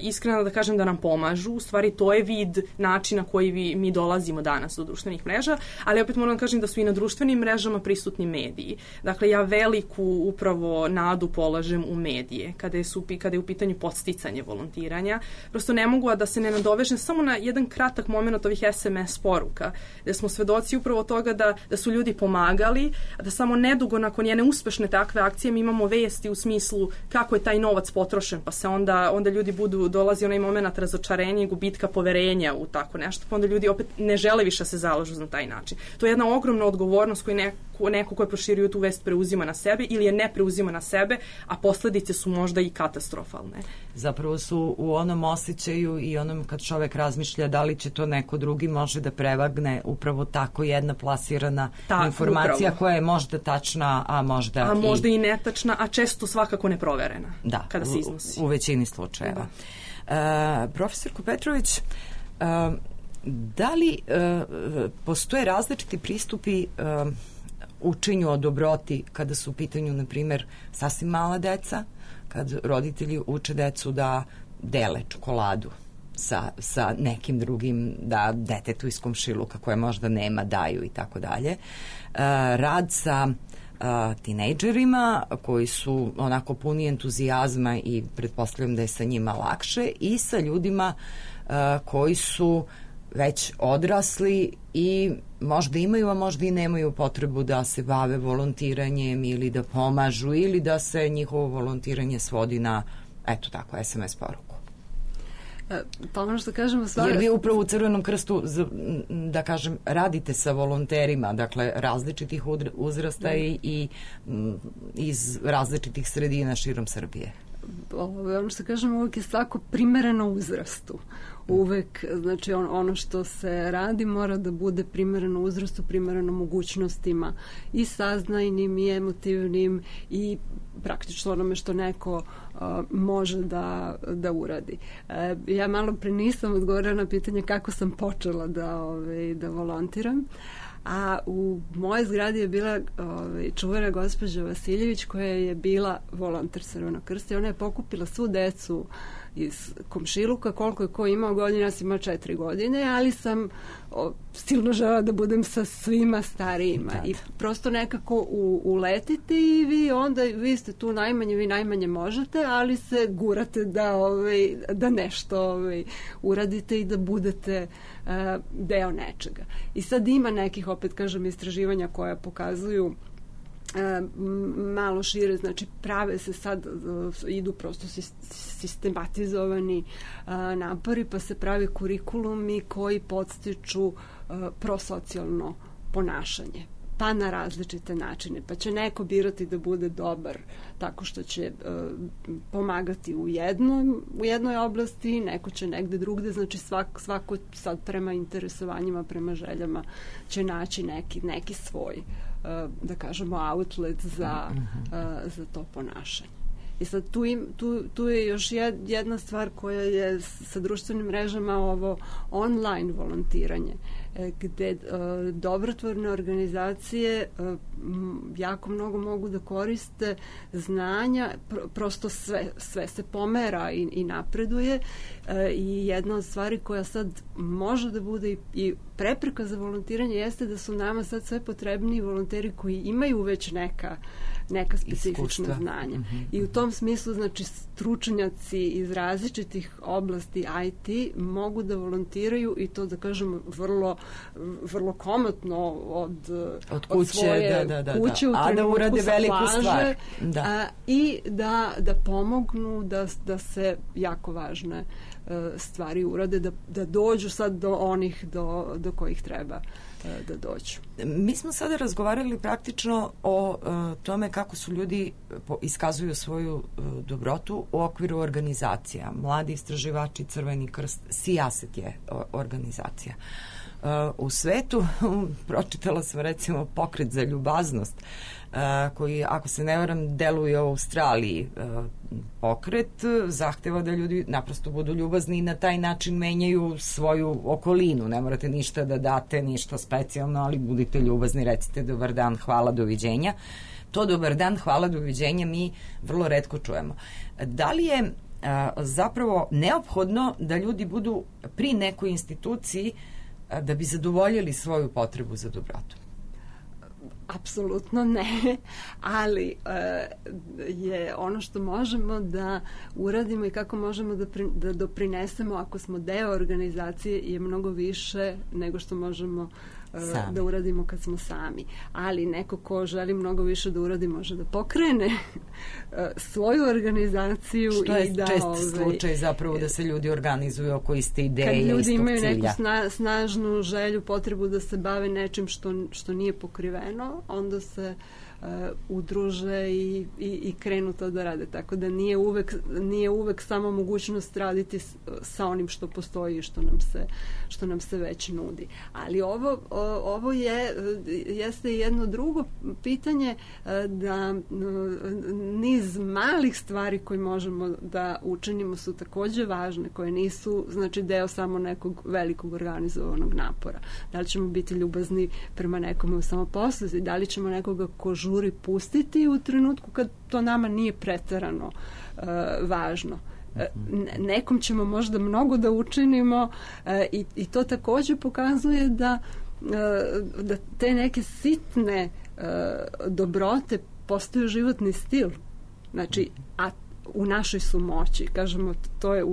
iskrena da kažem da nam pomažu. U stvari, to je vid načina koji mi dolazimo danas do društvenih mreža, ali opet moram da kažem da su i na društvenim mrežama prisutni mediji. Dakle, ja veliku upravo nadu polažem u medije, kada je u pitanju podsticanje volontiranja. Prosto ne mogu da se ne nadovežem samo na jedan kratak moment ovih SMS poruka, gde smo svedoci upravo toga da su ljudi pomagali, da samo nedugo nakon jedne uspešne takve akcije mi imamo vesti u smislu kako je taj novac potrošen, pa se onda ljudi dolazi onaj moment razočarenja i gubitka poverenja u tako nešto, pa onda ljudi opet ne žele više se zalažu na taj način. To je jedna ogromna odgovornost koju neko ko je proširio tu vest preuzima na sebe ili je ne preuzima na sebe, a posledice su možda i katastrofalne. Zapravo su u onom osjećaju i onom kad čovek razmišlja da li će to neko drugi može da prevagne upravo tako jedna plasirana informacija koja je možda tačna, a možda i netačna, a često svakako neproverena kada se iznosi. U većini slučajeva. Profesorko Petrović, da li postoje različiti pristupi učenju o dobroti kada su u pitanju, na primjer, sasvim mala deca, kad roditelji uče decu da dele čokoladu sa nekim drugim, da detetu iz komšiluka koje možda nema daju i tako dalje. Rad sa tinejdžerima koji su onako puni entuzijazma i pretpostavljam da je sa njima lakše, i sa ljudima koji su već odrasli i možda imaju, a možda i nemaju potrebu da se bave volontiranjem ili da pomažu ili da se njihovo volontiranje svodi na, eto tako, SMS poruku. Pa ono što kažemo stvarno... Jer vi upravo u Crvenom krstu, da kažem, radite sa volonterima, dakle, različitih uzrasta i iz različitih sredina širom Srbije. Ono što kažemo, uvek je svako primereno uzrastu. Uvek, znači ono što se radi mora da bude primereno uzrastu, primereno mogućnostima i saznajnim i emotivnim i praktično onome što neko može da uradi. Ja malo pre nisam odgovorila na pitanje kako sam počela da volontiram, a u mojoj zgradi je bila čuvena gospođa Vasiljević koja je bila volonter Crvenog krsta i ona je pokupila svu decu iz komšiluka, koliko je ko imao godina, ja sam imao 4 godine, ali sam silno žela da budem sa svima starijima i prosto nekako uletite i vi ste tu najmanje, vi najmanje možete, ali se gurate da nešto uradite i da budete deo nečega. I sad ima nekih, opet kažem, istraživanja koja pokazuju malo šire, znači prave se sad, idu prosto sistematizovani napori, pa se prave kurikulumi koji podstiču prosocijalno ponašanje. pa na različite načine. Pa će neko birati da bude dobar tako što će pomagati u jednoj oblasti, neko će negde drugde, znači svako sad prema interesovanjima, prema željama će naći neki svoj, da kažemo, outlet za to ponašanje. I sad tu je još jedna stvar koja je sa društvenim mrežama, ovo online volontiranje, gde dobrotvorne organizacije jako mnogo mogu da koriste znanja, prosto sve se pomera i napreduje, i jedna od stvari koja sad može da bude i prepreka za volontiranje jeste da su nama sad sve potrebniji volonteri koji imaju već neka specifična znanja. I u tom smislu, znači, stručnjaci iz različitih oblasti IT mogu da volontiraju, i to, da kažemo, vrlo komotno od kuće, svoje kuće u trenutku sa plaže, i da pomognu da se jako važne stvari urade, da dođu sad do onih do kojih treba da dođu. Mi smo sada razgovarali praktično o tome kako su ljudi iskazuju svoju dobrotu u okviru organizacija. Mladi istraživači, Crveni krst, Sijaset je organizacija. U svetu, pročitala sam recimo Pokret za ljubaznost, koji, ako se ne varam, deluje u Australiji. Pokret zahteva da ljudi naprosto budu ljubazni i na taj način menjaju svoju okolinu. Ne morate ništa da date, ništa specijalno, ali budite ljubazni, recite dobar dan, hvala, doviđenja. To dobar dan, hvala, doviđenja mi vrlo retko čujemo. Da li je zapravo neophodno da ljudi budu pri nekoj instituciji da bi zadovoljili svoju potrebu za dobrotu? Apsolutno ne, ali je ono što možemo da uradimo i kako možemo da doprinesemo ako smo deo organizacije je mnogo više nego što možemo da uradimo kad smo sami. Ali neko ko želi mnogo više da uradi može da pokrene svoju organizaciju. Što je čest slučaj zapravo da se ljudi organizuju oko iste ideje i istog cilja. Kad ljudi imaju neku snažnu želju, potrebu da se bave nečim što nije pokriveno, onda se udruže i krenu to da rade. Tako da nije uvek samo mogućnost raditi sa onim što postoji i što nam se već nudi. Ali ovo jeste jedno drugo pitanje, da niz malih stvari koje možemo da učinimo su takođe važne, koje nisu, znači, deo samo nekog velikog organizovanog napora. Da li ćemo biti ljubazni prema nekome u samoposluzi, da li ćemo nekoga ko žuri pustiti u trenutku kad to nama nije preterano važno. Nekom ćemo možda mnogo da učinimo, i to takođe pokazuje da te neke sitne dobrote postaju životni stil. Znači, a u našoj su moći, kažemo, to je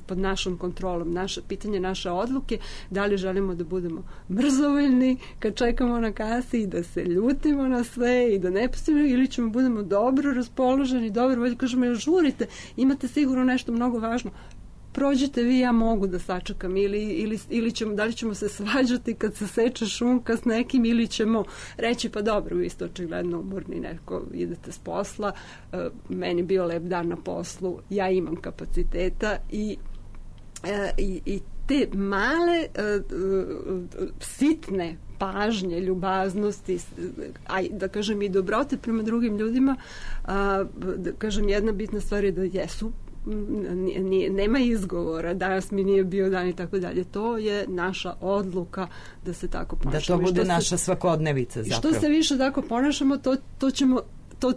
pod našom kontrolom, pitanje naše odluke, da li želimo da budemo mrzovoljni kad čekamo na kasi i da se ljutimo na sve i da ne pustimo, ili ćemo budemo dobro raspoloženi, dobro voljni, kažemo, žurite, imate sigurno nešto mnogo važno, prođite vi, ja mogu da sačekam, ili ćemo, da li ćemo se svađati kad se seče šunka s nekim, ili ćemo reći, pa dobro, vi ste očigledno umorni, neko idete s posla, meni bio lep dan na poslu, ja imam kapaciteta, i te male sitne pažnje, ljubaznosti, da kažem i dobrote prema drugim ljudima, da kažem, jedna bitna stvar je da jesu, nema izgovora, danas mi nije bio dan i tako dalje. To je naša odluka da se tako ponašamo. Da to bude naša svakodnevica zapravo. Što se više tako ponašamo, to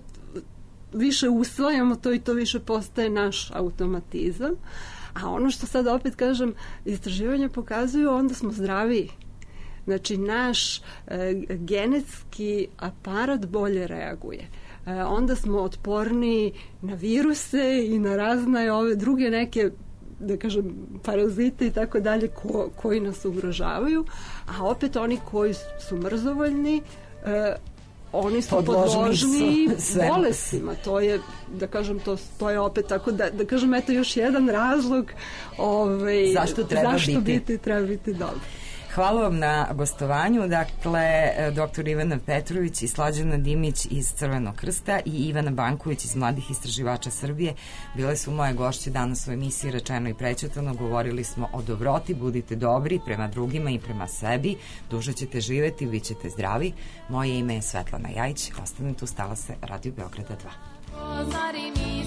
više usvajamo, to i to više postaje naš automatizam. A ono što sad opet kažem, istraživanja pokazuju, onda smo zdraviji. Znači, naš genetski aparat bolje reaguje. Onda smo otporniji na viruse i na razne ove druge neke, da kažem, parazite i tako dalje koji nas ugrožavaju, a opet oni koji su mrzovoljni, oni su podložni bolestima. To je, da kažem, to je opet tako, da kažem, eto još jedan razlog zašto treba biti dobro. Hvala vam na gostovanju. Dakle, dr. Ivana Petrović i Slađana Dimić iz Crvenog krsta i Ivana Banković iz Mladih istraživača Srbije bile su moje gošće danas u emisiji Rečeno i prećutano. Govorili smo o dobroti, budite dobri prema drugima i prema sebi, duže ćete živeti, bit ćete zdravi. Moje ime je Svetlana Jajić, ostanem tu, stala se Radio Beograda 2.